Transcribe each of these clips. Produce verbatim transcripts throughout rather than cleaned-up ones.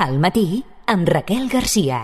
Al matí, amb Raquel Garcia.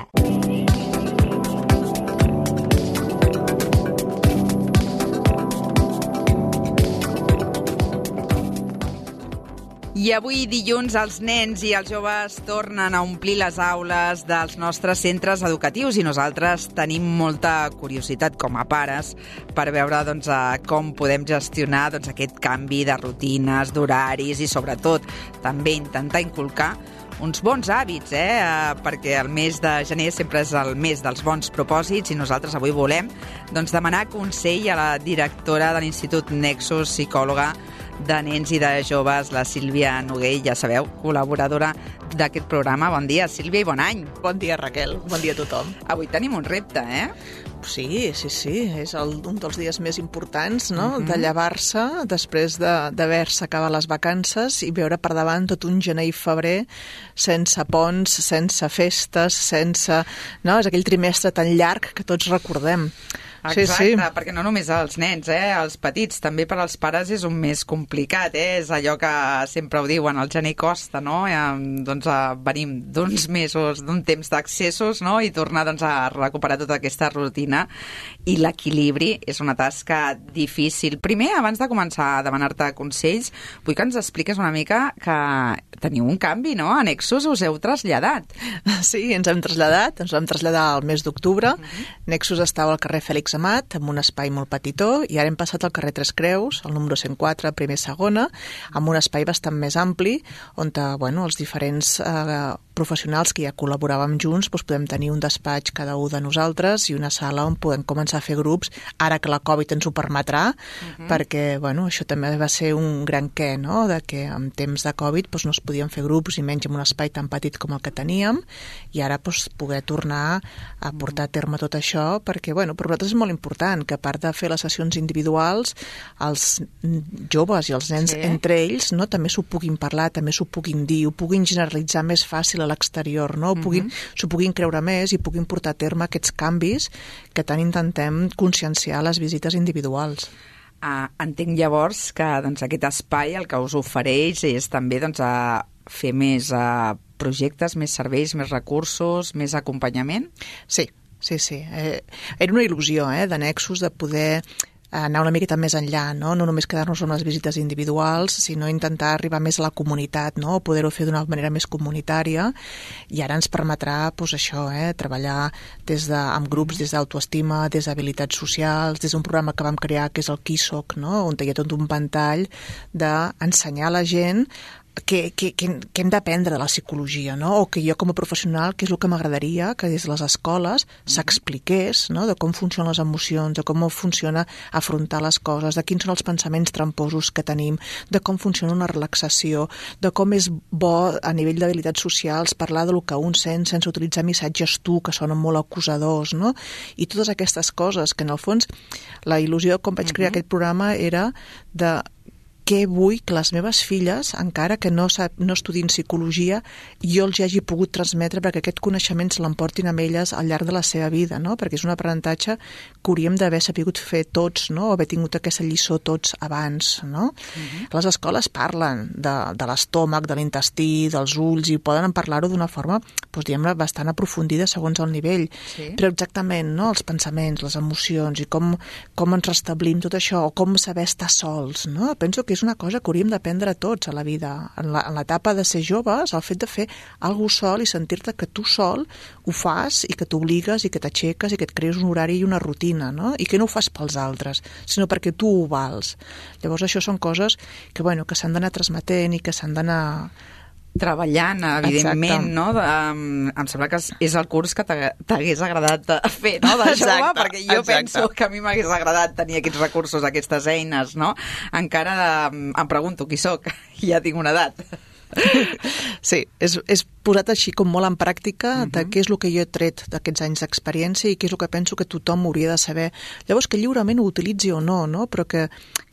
I avui dilluns els nens i els joves tornen a omplir les aules dels nostres centres educatius i nosaltres tenim molta curiositat com a pares per veure doncs, com podem gestionar doncs, aquest canvi de rutines, d'horaris i sobretot també intentar inculcar uns bons hàbits, eh? Perquè el mes de gener sempre és el mes dels bons propòsits i nosaltres avui volem doncs, demanar consell a la directora de l'Institut Nexus, psicòloga de nens i de joves, la Sílvia Noguell, ja sabeu, col·laboradora d'aquest programa. Bon dia, Sílvia, i bon any. Bon dia, Raquel. Bon dia a tothom. Avui tenim un repte, eh? Sí, sí, sí. És el, un dels dies més importants, no? Uh-huh. De llevar-se després d'haver-se acabat les vacances i veure per davant tot un gener i febrer sense ponts, sense festes, sense... No? És aquell trimestre tan llarg que tots recordem. Exacte, sí, sí. Perquè no només els nens, eh, els petits, també per als pares és un mes complicat, eh? És allò que sempre ho diuen, el gener costa, no? Eh, doncs eh, venim d'uns mesos, d'un temps d'accessos, no? I tornar doncs, a recuperar tota aquesta rutina i l'equilibri és una tasca difícil. Primer, abans de començar a demanar-te consells, vull que ens expliques una mica que teniu un canvi, no? A Nexus us heu traslladat. Sí, ens hem traslladat, ens vam traslladar al mes d'octubre. Uh-huh. Nexus estava al carrer Fèlix Amat, amb un espai molt petitó, i ara hem passat al carrer Tres Creus, al número cent quatre, primer segona, amb un espai bastant més ampli, on bueno, els diferents eh, professionals que ja col·laboràvem junts doncs podem tenir un despatx cada un de nosaltres i una sala on podem començar a fer grups, ara que la Covid ens ho permetrà, uh-huh. perquè bueno, això també va ser un gran què, no? De que en temps de Covid doncs, no es podien fer grups i menys en un espai tan petit com el que teníem, i ara doncs, poder tornar a portar a terme tot això, perquè bueno, per nosaltres és molt important que a part de fer les sessions individuals, els joves i els nens sí. entre ells no, també s'ho puguin parlar, també s'ho puguin dir, ho puguin generalitzar més fàcil a l'exterior, no? Ho puguin, uh-huh. s'ho puguin creure més i puguin portar a terme aquests canvis que tant intentem conscienciar a les visites individuals. Uh, entenc llavors que doncs, aquest espai el que us ofereix és també doncs, a fer més uh, projectes, més serveis, més recursos, més acompanyament? Sí. Sí, sí. Eh, era una il·lusió eh, de Nexus de poder anar una miqueta més enllà, no? No només quedar-nos amb les visites individuals, sinó intentar arribar més a la comunitat, no? Poder-ho fer d'una manera més comunitària, i ara ens permetrà doncs, això, eh, treballar des de, amb grups des d'autoestima, des d'habilitats socials, des d'un programa que vam crear que és el Qui Soc, no? On hi ha tot un ventall d'ensenyar a la gent que, que, que, que hem d'aprendre de la psicologia, no? O que jo com a professional, que és el que m'agradaria que des de les escoles s'expliqués, no? De com funcionen les emocions, de com funciona afrontar les coses, de quins són els pensaments tramposos que tenim, de com funciona una relaxació, de com és bo a nivell d'habilitats socials parlar del que un sent sense utilitzar missatges tu, que sonen molt acusadors, no? I totes aquestes coses que en el fons la il·lusió com vaig crear uh-huh. aquest programa era de què vull que les meves filles, encara que no, no estudin psicologia, jo els hagi pogut transmetre perquè aquest coneixement se l'emportin amb elles al llarg de la seva vida, no? Perquè és un aprenentatge que hauríem d'haver sabut fer tots, no? O haver tingut aquesta lliçó tots abans, no? Uh-huh. Les escoles parlen de, de l'estómac, de l'intestí, dels ulls, i poden parlar-ho d'una forma, doncs, diguem-ne, bastant aprofundida segons el nivell. Sí. Però exactament, no? Els pensaments, les emocions, i com, com ens restablim tot això, o com saber estar sols, no? Penso que és una cosa que hauríem d'aprendre tots a la vida. En l'etapa de ser joves, el fet de fer alguna cosa sol i sentir-te que tu sol ho fas i que t'obligues i que t'aixeques i que et crees un horari i una rutina, no? I que no ho fas pels altres, sinó perquè tu ho vals. Llavors això són coses que, bueno, que s'han d'anar transmetent i que s'han d'anar treballant, evidentment, no? Um, em sembla que és el curs que t'hagués agradat fer, no? De jove, exacte, perquè jo exacte. penso que a mi m'hagués agradat tenir aquests recursos, aquestes eines, no? Encara um, em pregunto qui soc, ja tinc una edat. Sí, és, és posat així com molt en pràctica de uh-huh. què és el que jo he tret d'aquests anys d'experiència i què és el que penso que tothom hauria de saber. Llavors que lliurement ho utilitzi o no, no? Però que,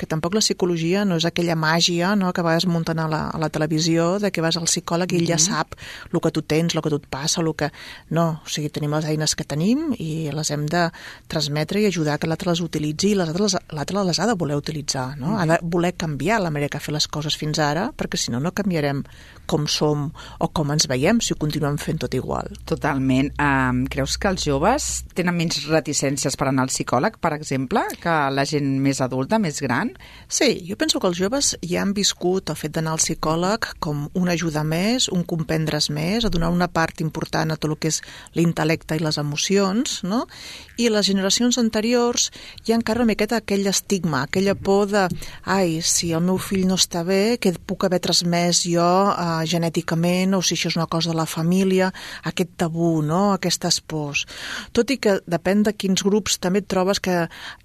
que tampoc la psicologia no és aquella màgia, no? Que a vegades munten a la, a la televisió de que vas al psicòleg i ell uh-huh. ja sap el que tu tens, el que tu et passa, el que... No, o sigui, tenim les eines que tenim i les hem de transmetre i ajudar que l'altre les utilitzi i l'altre les, l'altre les ha de voler utilitzar, no? Uh-huh. Ha de voler canviar la manera que ha fet les coses fins ara, perquè si no, no canviarem com som o com ens veiem si ho continuem fent tot igual. Totalment. Um, creus que els joves tenen menys reticències per anar al psicòleg, per exemple, que la gent més adulta, més gran? Sí, jo penso que els joves ja han viscut el fet d'anar al psicòleg com una ajuda més, un comprendre's més, a donar una part important a tot el que és l'intel·lecte i les emocions, no? I les generacions anteriors hi ha encara una miqueta aquell estigma, aquella por de ai, si el meu fill no està bé, què puc haver transmès jo eh, genèticament, o si això és una cosa de la família, aquest tabú, no? Aquestes pors. Tot i que depèn de quins grups també et trobes que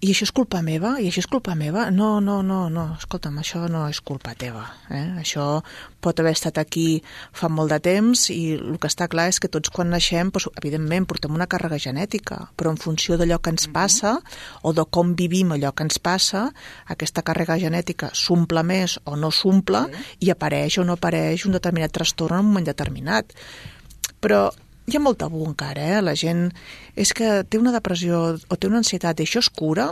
i això és culpa meva? I això és culpa meva? No, no, no, no, escolta'm, això no és culpa teva. Eh? Això pot haver estat aquí fa molt de temps i el que està clar és que tots quan naixem, doncs, evidentment, portem una càrrega genètica, però en funció d'allò que ens passa o de com vivim allò que ens passa, aquesta càrrega genètica s'omple més o no s'omple i apareix o no apareix un determinat trastorn en un moment determinat. Però hi ha molt tabú encara, eh? La gent és que té una depressió o té una ansietat i això es cura?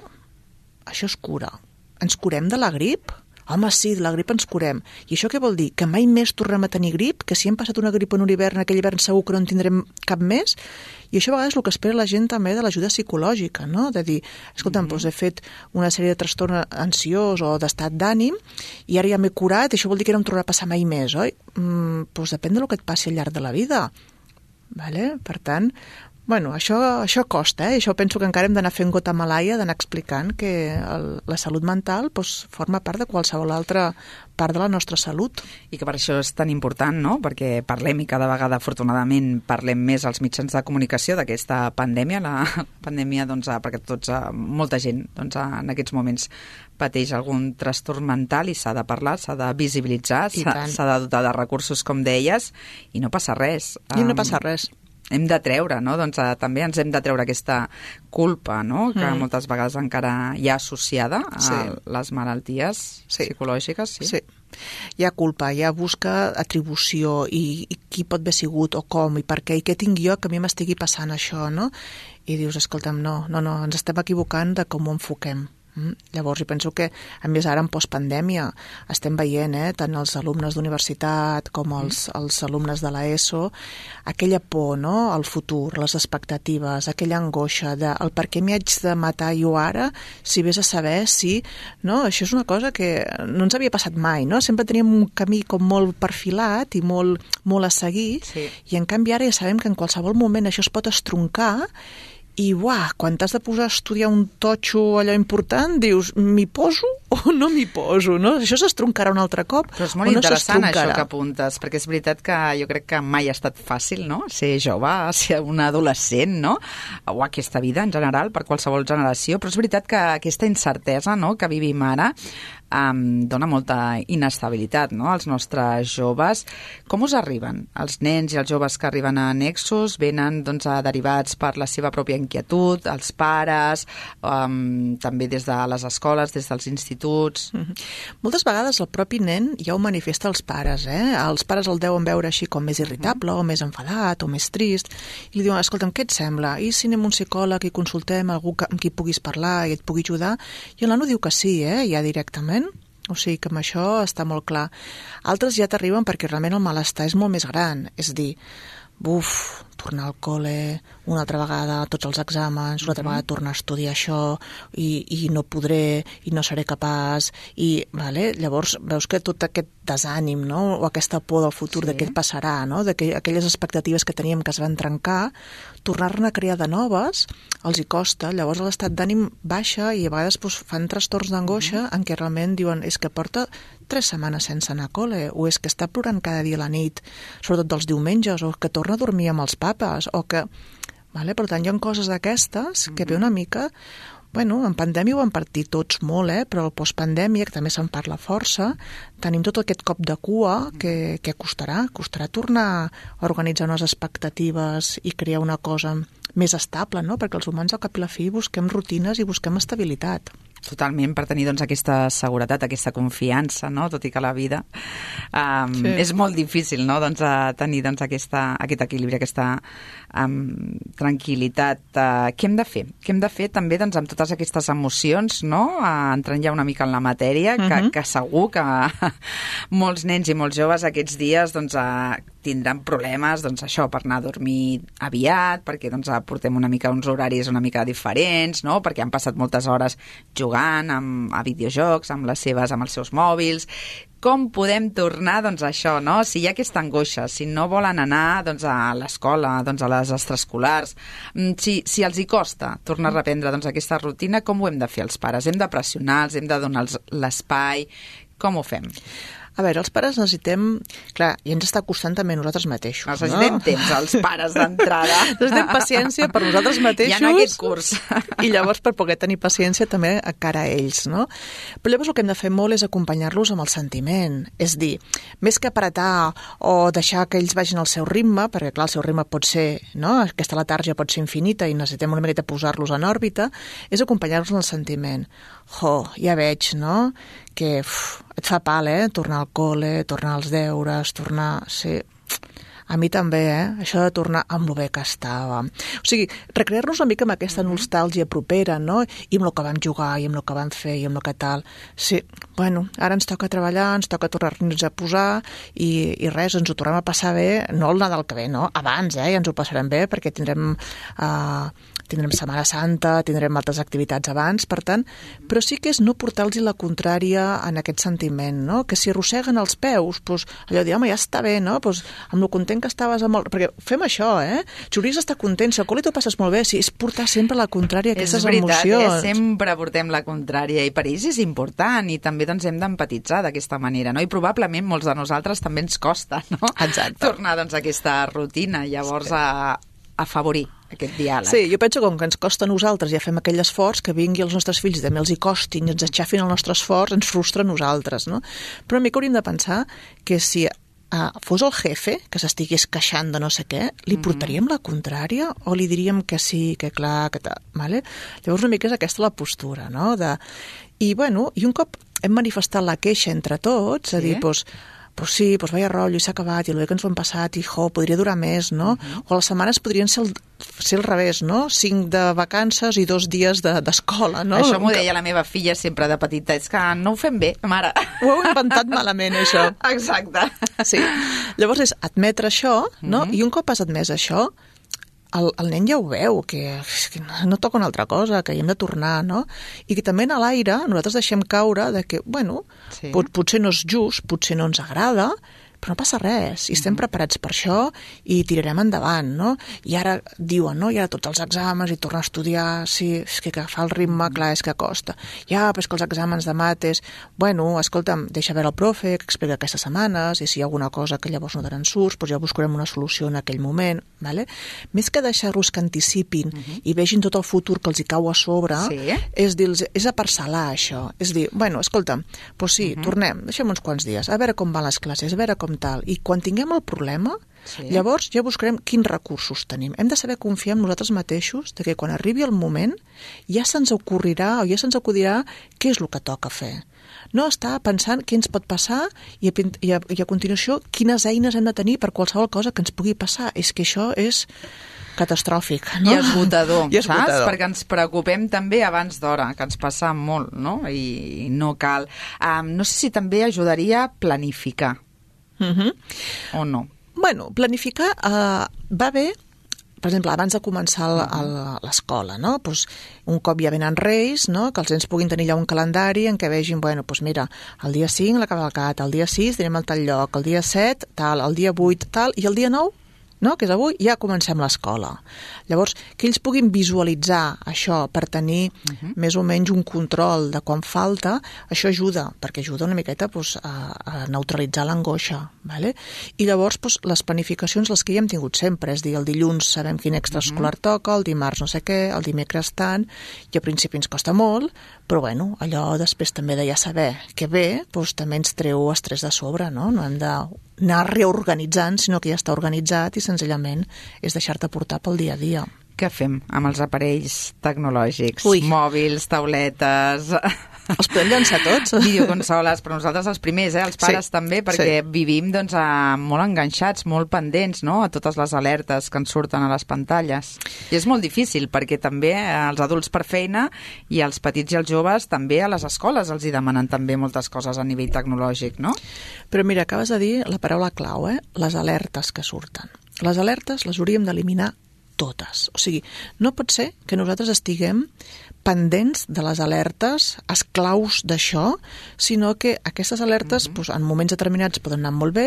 Això es cura. Ens curem de la grip? Home, sí, de la grip ens curem. I això què vol dir? Que mai més tornem a tenir grip? Que si hem passat una grip en un hivern, aquell hivern segur que no en tindrem cap més? I això a vegades és el que espera la gent també de l'ajuda psicològica, no? De dir, escolta'm, mm-hmm. doncs he fet una sèrie de trastorn ansiós o d'estat d'ànim i ara ja m'he curat i això vol dir que no em tornarà a passar mai més, oi? Mm, doncs depèn del que et passi al llarg de la vida. Vale? Per tant, bueno, això, això costa, eh? Això penso que encara hem d'anar fent gota malaia, d'anar explicant que el, la salut mental doncs, forma part de qualsevol altra part de la nostra salut. I que per això és tan important, no? Perquè parlem i cada vegada, afortunadament, parlem més als mitjans de comunicació d'aquesta pandèmia, la pandèmia, doncs, perquè tots, molta gent, doncs, en aquests moments pateix algun trastorn mental i s'ha de parlar, s'ha de visibilitzar, s'ha de dotar de recursos, com deies, i no passa res. I no passa res. Hem de treure, no? Doncs eh, també ens hem de treure aquesta culpa, no? Que mm. moltes vegades encara hi ha associada a sí. les malalties sí. psicològiques. Sí. sí. Hi ha culpa, hi ha busca atribució i, i qui pot haver sigut o com i per què i què tinc jo que a mi m'estigui passant això, no? I dius, escolta'm, no, no, no, ens estem equivocant de com ho enfoquem. Mm. Llavors, jo penso que, a més, ara en postpandèmia estem veient, eh, tant els alumnes d'universitat com els, els alumnes de l'ESO, aquella por, no?, al futur, les expectatives, aquella angoixa de el per què m'hi haig de matar jo ara si vés a saber si... No? Això és una cosa que no ens havia passat mai, no? Sempre teníem un camí com molt perfilat i molt, molt a seguir, sí. I en canvi ara ja sabem que en qualsevol moment això es pot estroncar i, uah, quan t'has de posar a estudiar un totxo allò important, dius, m'hi poso o no m'hi poso, no? Això s'estroncarà un altre cop. Però és molt no interessant això que apuntes, perquè és veritat que jo crec que mai ha estat fàcil, no?, ser jove, ser un adolescent, no?, o aquesta vida en general, per qualsevol generació, però és veritat que aquesta incertesa, no?, que vivim ara, um, dona molta inestabilitat, no?, als nostres joves. Com us arriben? Els nens i els joves que arriben a Nexus venen, doncs, derivats per la seva pròpia inquietud, els pares, um, també des de les escoles, des dels instituts. Mm-hmm. Moltes vegades el propi nen ja ho manifesta als pares, eh? Els pares el deuen veure així com més irritable, mm-hmm. o més enfadat, o més trist, i li diuen, escolta'm, què et sembla? I si anem a un psicòleg i consultem algú que, amb qui puguis parlar i et pugui ajudar? I el nano diu que sí, eh? Ja directament. O sigui que amb això està molt clar. Altres ja t'arriben perquè realment el malestar és molt més gran, és dir, buf, tornar al col·le, una altra vegada tots els exàmens, una altra mm-hmm. vegada tornar a estudiar això i, i no podré, i no seré capaç, i vale? Llavors veus que tot aquest desànim, no?, o aquesta por del futur, sí. de què et passarà, no?, de que aquelles expectatives que teníem que es van trencar, tornar-ne a crear de noves, els hi costa, llavors l'estat d'ànim baixa i a vegades doncs, fan trastorns d'angoixa mm-hmm. en què realment diuen, és que porta tres setmanes sense anar a col·le, o és que està plorant cada dia a la nit, sobretot dels diumenges, o que torna a dormir amb els papes, o que... Vale? Per tant, hi ha coses d'aquestes que ve una mica... Bueno, en pandèmia ho han partit tots molt, eh? Però el postpandèmia, que també se'n parla força, tenim tot aquest cop de cua que, que costarà, costarà tornar a organitzar unes expectatives i crear una cosa més estable, no? Perquè els humans al cap i la fi busquem rutines i busquem estabilitat. Totalment, per tenir doncs, aquesta seguretat, aquesta confiança, no? Tot i que la vida um, sí. és molt difícil, no? doncs, a tenir doncs, aquesta, aquest equilibri, aquesta um, tranquil·litat. Uh, què hem de fer? Què hem de fer també doncs, amb totes aquestes emocions, no? uh, entrant ja una mica en la matèria, que, uh-huh. que segur que molts nens i molts joves aquests dies doncs, uh, tindran problemes doncs, això per anar a dormir aviat, perquè doncs, portem una mica uns horaris una mica diferents, no? perquè han passat moltes hores jugant amb, a videojocs, amb les seves, amb els seus mòbils. Com podem tornar doncs, a això, no? Si hi ha aquesta angoixa, si no volen anar doncs, a l'escola, doncs, a les extraescolars, si, si els hi costa tornar a reprendre doncs, aquesta rutina, com ho hem de fer els pares? Hem de pressionar-los, hem de donar l'espai? Com ho fem? A veure, els pares necessitem... Clar, i ens està costant també a nosaltres mateixos, necessitem no? temps, els pares, d'entrada. Necessitem paciència per nosaltres mateixos. Ja en aquest curs. I llavors per poder tenir paciència també a cara a ells, no? Però llavors el que hem de fer molt és acompanyar-los amb el sentiment. És dir, més que apretar o deixar que ells vagin al seu ritme, perquè clar, el seu ritme pot ser, no? Aquesta letàrgia pot ser infinita i necessitem una miqueta posar-los en òrbita, és acompanyar-los en el sentiment. Jo, ja veig, no?, que uf, et fa pal, eh?, tornar al col·le, tornar als deures, tornar... Sí, a mi també, eh?, això de tornar amb el bé que estava. O sigui, recrear-nos una mica amb aquesta nostàlgia propera, no?, i amb el que vam jugar, i amb el que vam fer, i amb el que tal. Sí, bueno, ara ens toca treballar, ens toca tornar-nos a posar, i, i res, ens ho tornem a passar bé, no el Nadal que ve, no?, abans, eh?, ja ens ho passarem bé, perquè tindrem... Uh, tindrem Setmana Santa, tindrem altres activitats abans, per tant, però sí que és no portar-los la contrària en aquest sentiment, no? Que si arrosseguen els peus, doncs, allò de dir, home, ja està bé, no? Doncs, amb el content que estaves amb el... Perquè fem això, eh? Si hauries d'estar content, si al col·le t'ho passes molt bé, si és portar sempre la contrària a aquestes emocions. És veritat, eh? Sempre portem la contrària i per ells és important i també doncs, hem d'empatitzar d'aquesta manera, no? I probablement molts de nosaltres també ens costa, no? Exacte. Tornar doncs, a aquesta rutina, llavors sí. a afavorir aquest diàleg. Sí, jo penso que com que ens costa a nosaltres ja fem aquell esforç, que vingui als nostres fills i també els hi costin i ens aixafin el nostre esforç, ens frustra a nosaltres, no? Però a mi que hauríem de pensar que si uh, fos el jefe que s'estigués queixant de no sé què, li portaríem la contrària o li diríem que sí, que clar, que tal, vale? Llavors una mica és aquesta la postura, no? De... I, bueno, i un cop hem manifestat la queixa entre tots, sí? A dir, doncs, pues sí, pues vaya rotllo, i s'ha acabat, i el bé que ens ho hem passat, i jo, podria durar més, no? Uh-huh. O les setmanes podrien ser el, ser al revés, no? Cinc de vacances i dos dies d'escola, de, no? Això m'ho deia la meva filla sempre de petita, és que no ho fem bé, mare. Ho heu inventat malament, això. Exacte. Sí. Llavors és admetre això, no? Uh-huh. I un cop has admès això, el, el nen ja ho veu, que, que no toca una altra cosa, que hi hem de tornar, no? I que també a l'aire nosaltres deixem caure de que, bueno, sí. pot, potser no és just, potser no ens agrada, però no passa res, i estem mm-hmm. preparats per això i tirarem endavant, no? I ara diuen, no? I ara tots els exàmens i tornar a estudiar, sí, és que agafar el ritme, mm-hmm. clar, és que costa. Ja, però és que els exàmens de mates, bueno, escolta'm, deixa veure el profe, que explica aquestes setmanes, i si hi ha alguna cosa que llavors no te'n surts, doncs ja buscarem una solució en aquell moment, vale? Més que deixar-los que anticipin mm-hmm. i vegin tot el futur que els hi cau a sobre, sí. és, dir és a parcel·lar això, és dir, bueno, escolta, doncs sí, mm-hmm. tornem, deixem uns quants dies, a veure com van les classes, a veure com tal, i quan tinguem el problema, sí. llavors ja buscarem quins recursos tenim. Hem de saber confiar en nosaltres mateixos, de que quan arribi el moment ja se'ns ocorrirà o ja se'ns acudirà què és el que toca fer. No estar pensant què ens pot passar i a, i a, i a continuació quines eines hem de tenir per qualsevol cosa que ens pugui passar. És que això és catastròfic, no? I esgotador, I esgotador, saps? Perquè ens preocupem també abans d'hora, que ens passa molt, no? I no cal. Um, no sé si també ajudaria a planificar. Uh-huh. O no? Bueno, planificar uh, va bé, per exemple, abans de començar l'escola, no? Pues, un cop ja venen reis, no? Que els nens puguin tenir ja un calendari en què vegin, bueno, pues mira, el dia cinc la cavalcata, el dia sis anem al tal lloc, el dia set tal, el dia vuit tal, i el dia nou, no? Que és avui, ja comencem l'escola. Llavors, que ells puguin visualitzar això per tenir uh-huh. més o menys un control de quan falta, això ajuda, perquè ajuda una miqueta pues, a, a neutralitzar l'angoixa. Vale? I llavors pues, les planificacions, les que ja hem tingut sempre, és dir, el dilluns sabem quin extraescolar uh-huh. toca, el dimarts no sé què, el dimecres tant, i al principi ens costa molt, però bueno, allò després també de ja saber que ve, pues, també ens treu estrès de sobre, no? No hem de anar reorganitzant, sinó que ja està organitzat i senzillament és deixar-te portar pel dia a dia. Què fem amb els aparells tecnològics? Ui. Mòbils, tauletes... Els podem llançar tots? Videoconsoles, però nosaltres els primers, eh? Els pares Sí, també, perquè sí. vivim doncs, a, molt enganxats, molt pendents, no?, a totes les alertes que ens surten a les pantalles. I és molt difícil, perquè també els adults per feina i els petits i els joves també a les escoles els hi demanen també moltes coses a nivell tecnològic, no? Però mira, acabes de dir la paraula clau, eh? Les alertes que surten. Les alertes les hauríem d'eliminar totes. O sigui, no pot ser que nosaltres estiguem pendents de les alertes, esclaus d'això, sinó que aquestes alertes mm-hmm. doncs, en moments determinats poden anar molt bé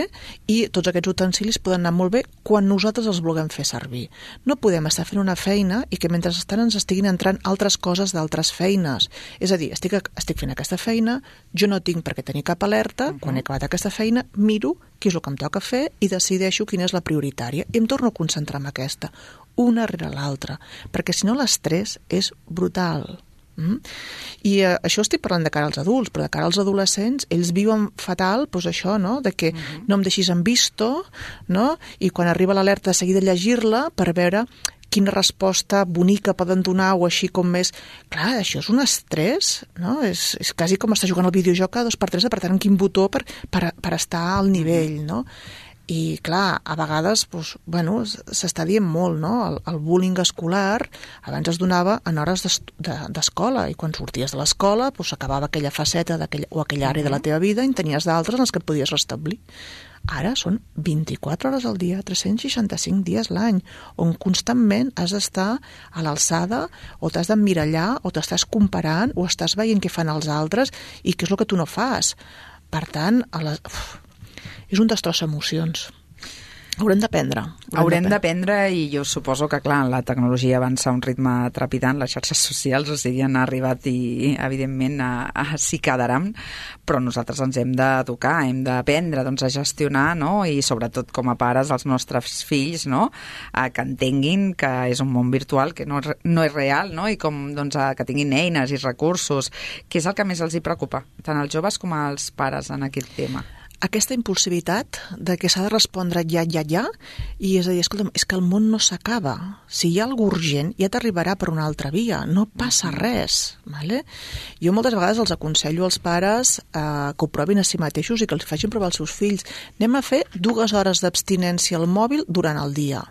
i tots aquests utensilis poden anar molt bé quan nosaltres els vulguem fer servir. No podem estar fent una feina i que mentre estan ens estiguin entrant altres coses d'altres feines. És a dir, estic, estic fent aquesta feina, jo no tinc per què tenir cap alerta, mm-hmm. quan he acabat aquesta feina, miro què és el que em toca fer i decideixo quina és la prioritària i em torno a concentrar en aquesta, una rere l'altra, perquè si no l'estrès és brutal. Mm? I eh, això estic parlant de cara als adults, però de cara als adolescents, ells viuen fatal, doncs això, no?, de que uh-huh. no em deixis en visto, no?, i quan arriba l'alerta de seguida llegir-la per veure quina resposta bonica poden donar o així com més... Clar, això és un estrès, no? És, és quasi com estar jugant al videojoc a dos per tres apretant quin botó per, per, per estar al nivell, no? I, clar, a vegades, doncs, bueno, s'està dient molt, no? El, el bullying escolar abans es donava en hores d'escola i quan sorties de l'escola doncs, s'acabava aquella faceta o aquella àrea de la teva vida i en tenies d'altres en les que et podies restablir. Ara són vint-i-quatre hores al dia, tres-cents seixanta-cinc dies l'any, on constantment has d'estar a l'alçada o t'has d'emmirallar o t'estàs comparant o estàs veient què fan els altres i què és el que tu no fas. Per tant, a les... Uf, és un destroç d'emocions. Haurem d'aprendre. Haurem d'aprendre i jo suposo que, clar, la tecnologia avança a un ritme trepidant, les xarxes socials, o sigui, han arribat i, evidentment, a, a s'hi quedaran, però nosaltres ens hem d'educar, hem d'aprendre doncs, a gestionar, no?, i sobretot com a pares els nostres fills, no?, a que entenguin que és un món virtual, que no, no és real, no?, i com doncs, a que tinguin eines i recursos, que és el que més els hi preocupa, tant als joves com als pares en aquest tema. Aquesta impulsivitat de que s'ha de respondre ja, ja, ja, i és a dir, escolta'm, és que el món no s'acaba. Si hi ha alguna urgent, ja t'arribarà per una altra via. No passa res. Vale? Jo moltes vegades els aconsello als pares eh, que ho provin a si mateixos i que els facin provar als seus fills. Anem a fer dues hores d'abstinència al mòbil durant el dia.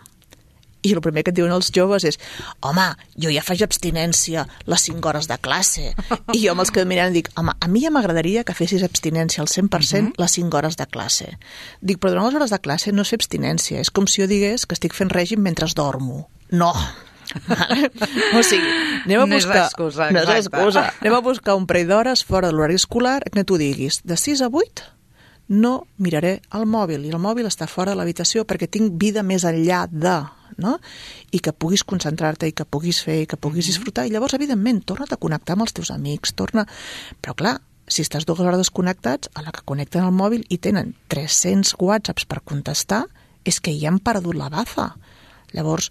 I el primer que et diuen els joves és home, jo ja faig abstinència les cinc hores de classe. I jo amb els que em miren dic, home, a mi ja m'agradaria que fessis abstinència al cent per cent uh-huh. les cinc hores de classe. Dic, però durant les hores de classe no és fer abstinència, és com si jo digués que estic fent règim mentre dormo. No! O sigui, anem a buscar... No és excusa, no és excusa. Anem a buscar un parell d'hores fora de l'horari escolar que tu diguis, de sis a vuit no miraré el mòbil, i el mòbil està fora de l'habitació perquè tinc vida més enllà de... no? I que puguis concentrar-te i que puguis fer i que puguis mm-hmm. disfrutar i llavors, evidentment, torna't a connectar amb els teus amics, torna... Però clar, si estàs dues hores desconnectats, a la que connecten el mòbil i tenen tres-cents whatsapps per contestar, és que ja han perdut la baza. Llavors,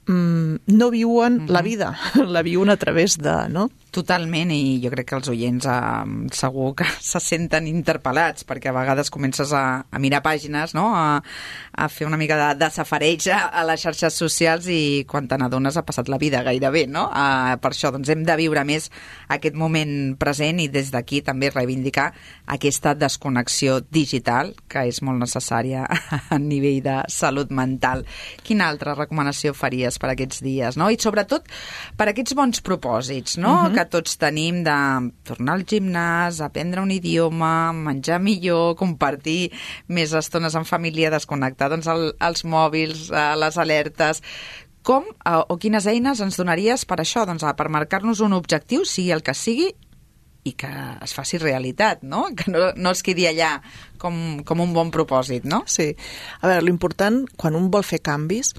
mmm, no viuen mm-hmm. la vida, la viuen a través de... no? Totalment, i jo crec que els oients eh, segur que se senten interpel·lats, perquè a vegades comences a, a mirar pàgines, no?, a, a fer una mica de, de safareig a, a les xarxes socials i quan te n'adones ha passat la vida gairebé, no? Uh, per això doncs, hem de viure més aquest moment present i des d'aquí també reivindicar aquesta desconnexió digital que és molt necessària a nivell de salut mental. Quina altra recomanació faries per aquests dies, no? I sobretot per aquests bons propòsits, no?, uh-huh. que tots tenim de tornar al gimnàs, aprendre un idioma, menjar millor, compartir més estones en família, desconnectar doncs, el, els mòbils, eh, les alertes. Com eh, o quines eines ens donaries per això? Doncs, per marcar-nos un objectiu, sigui el que sigui, i que es faci realitat, no? Que no, no es quedi allà com, com un bon propòsit, no? Sí. A veure, l'important, quan un vol fer canvis,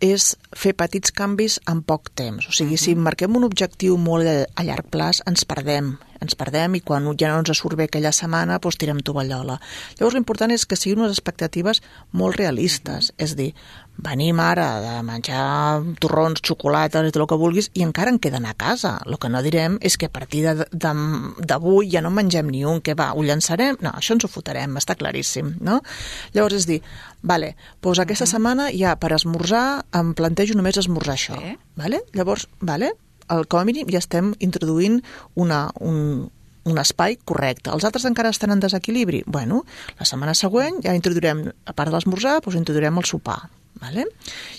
és fer petits canvis en poc temps. O sigui, uh-huh. si marquem un objectiu molt a llarg plaç, ens perdem. ens perdem i quan ja no ens surt bé aquella setmana, doncs tirem tovallola. Llavors l'important és que siguin unes expectatives molt realistes, és dir, venim ara de menjar torrons, xocolates i tot el que vulguis i encara en queden a casa. El que no direm és que a partir d'avui ja no mengem ni un, que va, ho llançarem? No, això ens ho fotrem, està claríssim, no? Llavors és dir, vale, doncs aquesta setmana ja per esmorzar em plantejo només esmorzar això, sí. Vale? Llavors, vale, el, com a mínim ja estem introduint una, un, un espai correcte. Els altres encara estan en desequilibri. Bueno, la setmana següent ja introduirem, a part de l'esmorzar, doncs introduirem el sopar. Vale?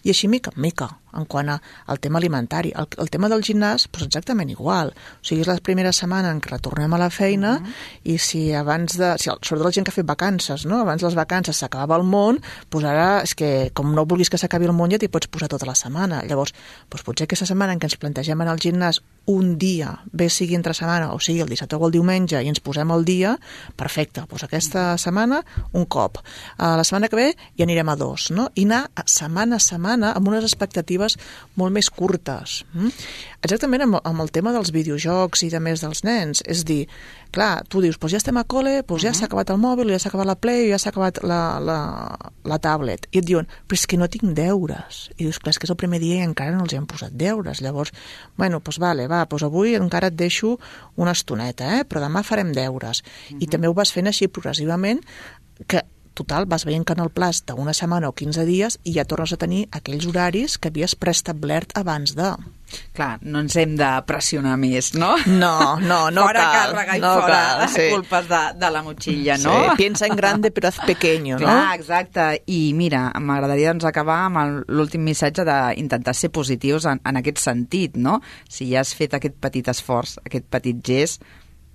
I així mica en mica, en quant al tema alimentari. El, el tema del gimnàs, doncs exactament igual. O sigui, és la primera setmana en què retornem a la feina uh -huh. i si abans de... Si, sobretot la gent que ha fet vacances, no? Abans les vacances s'acabava el món, doncs ara és que com no vulguis que s'acabi el món ja t'hi pots posar tota la setmana. Llavors, doncs potser aquesta setmana en què ens plantegem anar al gimnàs un dia, bé sigui entre setmana o sigui el dissabte o el diumenge i ens posem al dia, perfecte, doncs aquesta setmana un cop. Uh, la setmana que ve ja anirem a dos, no? I anar setmana a setmana amb unes expectatives molt més curtes. Mm? Exactament amb, amb el tema dels videojocs i de més dels nens. És dir, clar, tu dius, doncs ja estem a col·le, doncs ja s'ha acabat el mòbil, ja s'ha acabat la Play, ja s'ha acabat la, la, la tablet. I et diuen, però és que no tinc deures. I dius, clar, és que és el primer dia i encara no els hem posat deures. Llavors, bueno, doncs vale, va, doncs avui encara et deixo una estoneta, eh? Però demà farem deures. Uh-huh. I també ho vas fent així progressivament, que total, vas veient que en el plaç d'una setmana o quinze dies i ja tornes a tenir aquells horaris que havies preestablert abans de... Clar, no ens hem de pressionar més, no? No, no, no fora cal. Càrrega i no fora cal, sí. culpes de, de la motxilla, no? Sí, piensa en grande però haz pequeño, no? Clar, exacte. I mira, m'agradaria doncs, acabar amb l'últim missatge d'intentar ser positius en, en aquest sentit, no? Si ja has fet aquest petit esforç, aquest petit gest,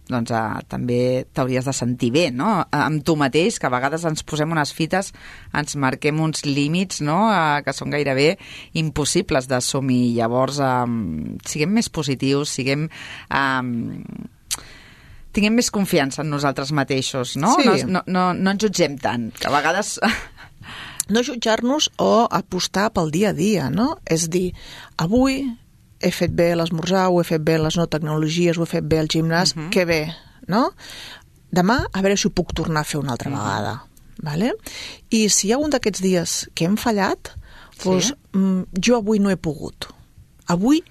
doncs uh, també t'hauries de sentir bé, no? Amb tu mateix, que a vegades ens posem unes fites, ens marquem uns límits, no?, uh, que són gairebé impossibles d'assumir. Llavors, um, siguem més positius, siguem... Um, tinguem més confiança en nosaltres mateixos, no? Sí. No, no, no ens jutgem tant, que a vegades... No jutjar-nos o apostar pel dia a dia, no? És dir, avui... he fet bé l'esmorzar, ho he fet bé les no tecnologies, ho he fet bé el gimnàs, uh-huh. que bé, no? Demà, a veure si ho puc tornar a fer una altra uh-huh. vegada, vale? I si hi ha un d'aquests dies que hem fallat, doncs sí? jo avui no he pogut. Avui,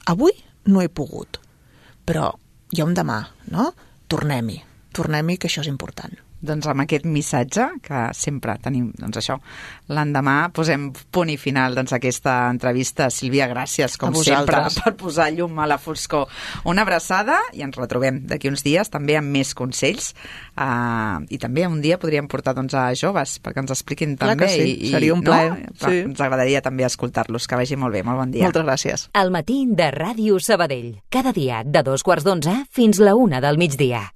avui no he pogut. Però hi ha un demà, no? Tornem-hi, tornem-hi, que això és important. Doncs amb aquest missatge, que sempre tenim, doncs això, l'endemà posem punt i final doncs, a aquesta entrevista. Sílvia, gràcies, com sempre, per posar llum a la foscor. Una abraçada i ens retrobem d'aquí uns dies, també amb més consells. Uh, I també un dia podríem portar doncs, a joves perquè ens expliquin Clar també. Sí. I, seria un plaer. No? Sí. Ens agradaria també escoltar-los. Que vagi molt bé, molt bon dia. Moltes gràcies. Al matí de Ràdio Sabadell. Cada dia de dos quarts d'onze fins la una del migdia.